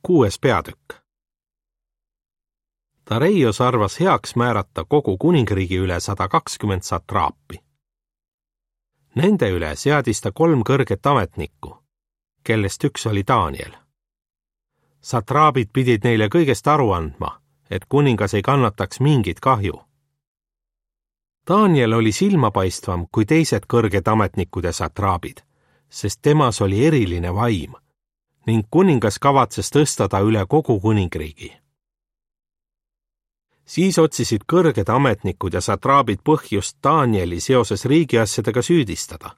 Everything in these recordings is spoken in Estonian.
6. peatükk. Dareios arvas heaks määrata kogu kuningriigi üle 120 satraapi. Nende üle seadis ta 3 kõrget ametnikku, kellest üks oli Daniel. Satraabid pidid neile kõigest aru andma, et kuningas ei kannataks mingit kahju. Daniel oli silmapaistvam kui teised kõrged ametnikud ja satraabid, sest temas oli eriline vaim ning kuningas kavatses tõsta ta üle kogu kuningriigi. Siis otsisid kõrged ametnikud ja satraabid põhjust Danieli seoses riigiasjadega süüdistada.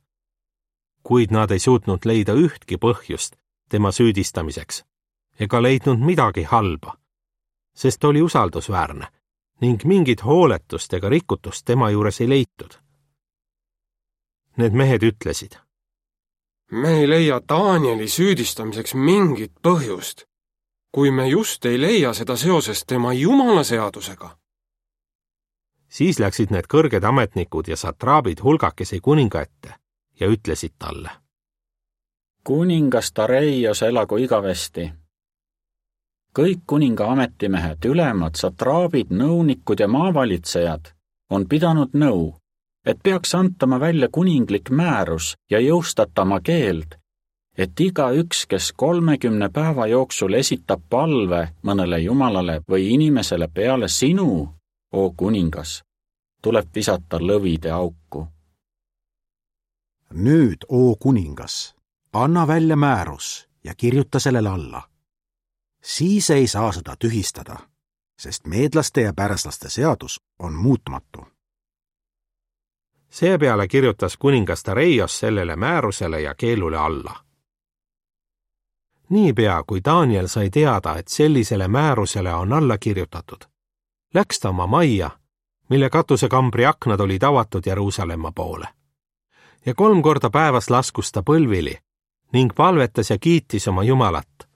Kuid nad ei suutnud leida ühtki põhjust tema süüdistamiseks ega leidnud midagi halba, sest oli usaldusväärne ning mingit hooletust ega rikutust tema juures ei leitud. Need mehed ütlesid: Me ei leia Danieli süüdistamiseks mingit põhjust, kui me just ei leia seda seoses tema jumala seadusega. Siis läksid need kõrged ametnikud ja satraabid hulgakesi kuninga ette ja ütlesid talle: Kuningas Dareios elagu igavesti. Kõik kuninga ametimehed, ülemad, satraabid, nõunikud ja maavalitsejad on pidanud nõu, et peaks antama välja kuninglik määrus ja jõustatama keeld, et igaüks, kes 30 päeva jooksul esitab palve mõnele jumalale või inimesele peale sinu, o kuningas, tuleb visata lõvide auku. Nüüd, o kuningas, anna välja määrus ja kirjuta sellele alla. Siis ei saa seda tühistada, sest meedlaste ja pärslaste seadus on muutmatu. Seepeale kirjutas kuningas Dareios sellele määrusele ja keelule alla. Niipea, kui Daniel sai teada, et sellisele määrusele on alla kirjutatud, läks ta oma majja, mille katusekambri aknad olid avatud Jeruusalemma poole. Ja 3 korda päevas laskus ta põlvili ning palvetas ja kiitis oma Jumalat,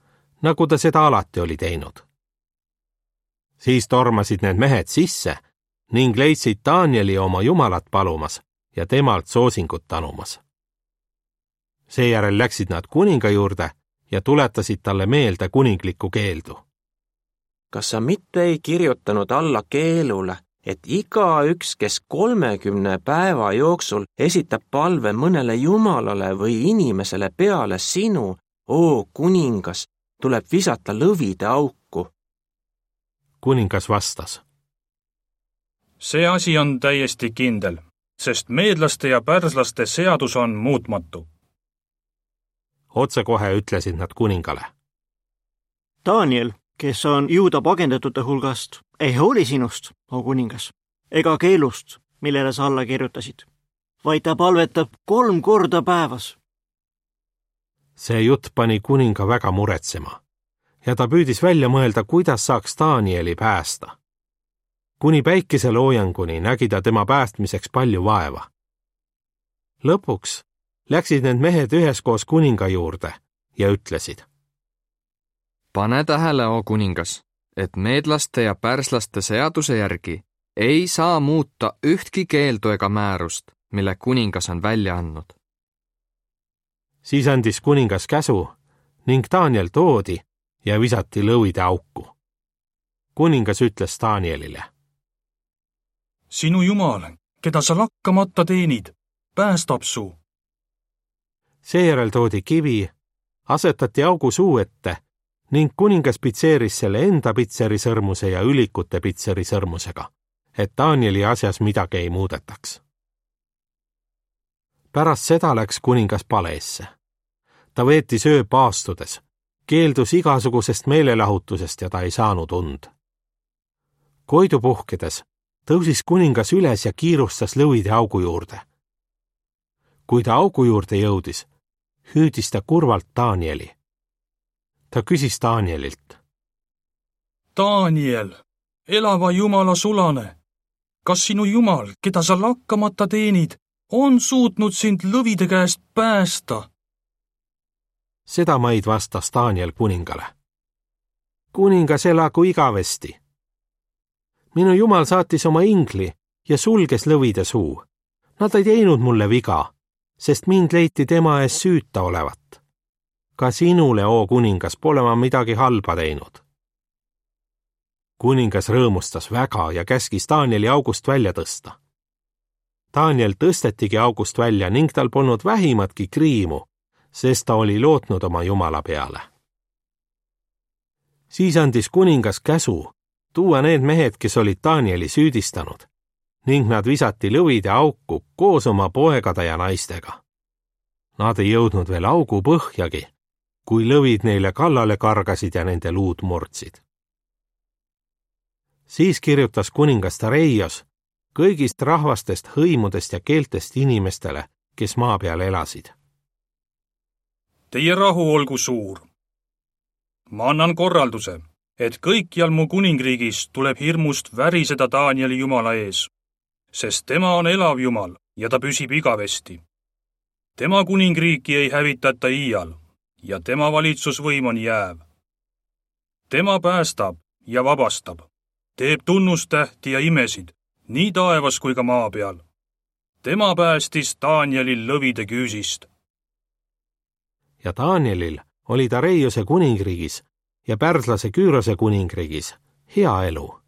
nagu ta seda alati oli teinud. Siis tormasid need mehed sisse ning leidsid Danieli oma Jumalat palumas ja temalt soosingut tanumas. Seejärel läksid nad kuninga juurde ja tuletasid talle meelde kuninglikku keeldu. Kas sa mitte ei kirjutanud alla keelule, et igaüks, kes 30 päeva jooksul esitab palve mõnele jumalale või inimesele peale sinu, o kuningas, tuleb visata lõvide auku? Kuningas vastas: See asi on täiesti kindel, sest meedlaste ja pärslaste seadus on muutmatu. Otsekohe ütlesid nad kuningale: Daniel, kes on juuda pagendatute hulgast, ei hooli sinust, o kuningas, ega keelust, millele sa alla kirjutasid, vaid ta palvetab 3 korda päevas. See jutt pani kuninga väga muretsema ja ta püüdis välja mõelda, kuidas saaks Danieli päästa. Kuni päikeseloojanguni nägi ta tema päästmiseks palju vaeva. Lõpuks läksid need mehed üheskoos kuninga juurde ja ütlesid: Pane tähele, o kuningas, et meedlaste ja pärslaste seaduse järgi ei saa muuta ühtki keeldu ega määrust, mille kuningas on välja andnud. Siis andis kuningas käsu ning Daniel toodi ja visati lõvide auku. Kuningas ütles Danielile: Sinu Jumal, keda sa lakkamata teenid, päästab su. Seejärel toodi kivi, asetati augu suu ette ning kuningas pitseeris selle enda pitserisõrmuse ja ülikute pitserisõrmusega, et Danieli asjas midagi ei muudetaks. Pärast seda läks kuningas paleesse. Ta veetis öö paastudes, keeldus igasugusest meelelahutusest ja ta ei saanud und. Koidu puhkedes tõusis kuningas üles ja kiirustas lõvide augu juurde. Kui ta augu juurde jõudis, hüüdis ta kurvalt Danieli. Ta küsis Danielilt: Daniel, elava Jumala sulane, kas sinu Jumal, keda sa lakkamata teenid, on suutnud sind lõvide käest päästa? Seda maid vastas Daniel kuningale: Kuningas elagu igavesti. Minu Jumal saatis oma ingli ja sulges lõvide suu. Nad ei teinud mulle viga, sest mind leiti tema ees süüta olevat. ka sinule, oo kuningas, pole ma midagi halba teinud. Kuningas rõõmustas väga ja käskis Danieli august välja tõsta. Daniel tõstetigi august välja ning tal polnud vähimatki kriimu, sest ta oli lootnud oma Jumala peale. Siis andis kuningas käsu tuua need mehed, kes olid Danieli süüdistanud, ning nad visati lõvide auku koos oma poegade ja naistega. Nad ei jõudnud veel augu põhjagi, kui lõvid neile kallale kargasid ja nende luud murdsid. Siis kirjutas kuningas Dareios kõigist rahvastest, hõimudest ja keeltest inimestele, kes maa peal elasid. Teie rahu olgu suur. Ma annan korralduse, et kõikjal mu kuningriigis tuleb hirmust väriseda Danieli Jumala ees, sest tema on elav Jumal ja ta püsib igavesti. Tema kuningriiki ei hävitata iial ja tema valitsusvõim on jääv. Tema päästab ja vabastab, teeb tunnustähti ja imesid, nii taevas kui ka maa peal. Tema päästis Danielil lõvide küüsist. Ja Danielil oli Dareiose kuningriigis ja pärslase Küürose kuningriigis hea elu.